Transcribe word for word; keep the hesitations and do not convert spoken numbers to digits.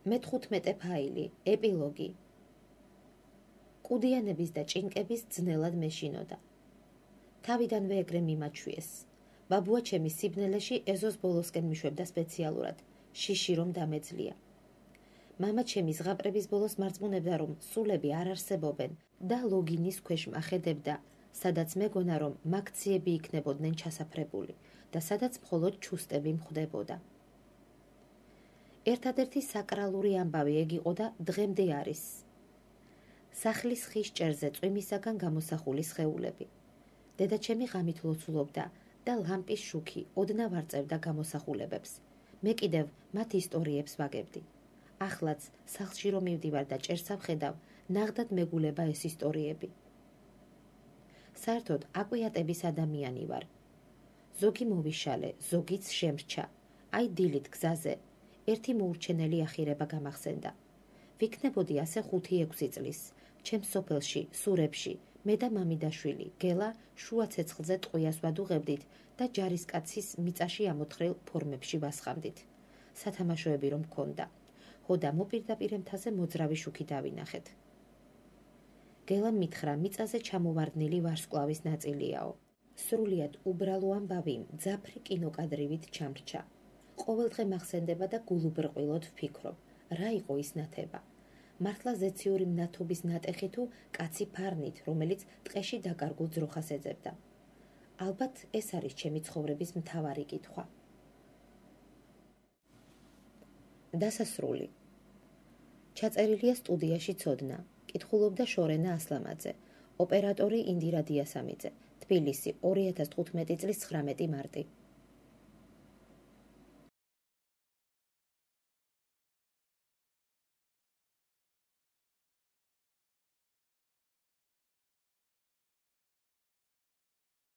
მეთხუთმეტე ფაილი, ეპილოგი. კუდიანების და ჭინკების ძნელად მეშინოდა. თავიდანვე ეგრე მიმაჩვიეს. ბაბუა ჩემი სიბნელეში ეზოს ბოლოსკენ მიშვებდა სპეციალურად, შიში რომ დამეძლია. მამა ჩემი ზღაპრების ბოლოს მარწმუნებდა, რომ სულები არ არსებობენ და ლოგინის ქვეშ მახედებდა, სადაც მეგონა, რომ მაქციები იქნებოდნენ ჩასაფრებული და სადაც მხოლოდ ჩუსტები მხვდებოდა. ერთადერთი საკრალური ამბავი ეგ იყო და დღემდე არის. სახლის ხის ჭერზე წვიმისაგან გამოსახული სხეულები. დედაჩემი ღამით ლოცულობდა და ლამპის შუქი ოდნავ არწევდა გამოსახულებებს. მე კიდევ მათ ისტორიებს ვაგებდი. ახლაც სახლში რომ მივდივარ და ჭერს ავხედავ, ნაღდად მეგულება ეს ისტორიები. საერთოდ აკვიატების ადამიანი ვარ. ზოგი მოვიშალე, ზოგიც შემრჩა. აი დილით გზაზე ერთი მოურჩენელი ახირება გამახსენდა. ვიქნებოდი ასე ხუთი-ექვსი წლის, ჩემს სოფელში, სურებში, მე და მამიდაშვილი, გელა შუა ცეცხლზე ტყვიას ვადუღებდით და ჯარისკაცის მიწაში ამოთხრილ ფორმებში ვასხამდით. სათამაშოები რომ მქონდა. ხოდა მოპირდაპირე მთაზე მოძრავი შუქი დავინახეთ. გელამ მითხრა, მიწაზე ჩამოვარდნილი ვარსკვლავის ნაწილიაო. სრულიად უბრალო ამბავი მძაფრი კინოკადრივით ჩამრჩა. ყოველდღე მახსენდება და გულუბრყვილოდ ვფიქრობ, რა იყო ის ნათება. მართლა ზეციური მნათობის ნატეხი თუ კაცი ფარნით, რომელიც ტყეში დაკარგულ ძროხას ეძებდა. ალბათ ეს არის ჩემი ცხოვრების მთავარი კითხვა. დასასრული. ჩაწერილია სტუდიაში ცოდნა. კითხულობდა შორენა ასლამაძე, ოპერატორი ინდირა დიასამიძე, თბილისი, ორი ათას თხუთმეტი წლის ცხრამეტი მარტი.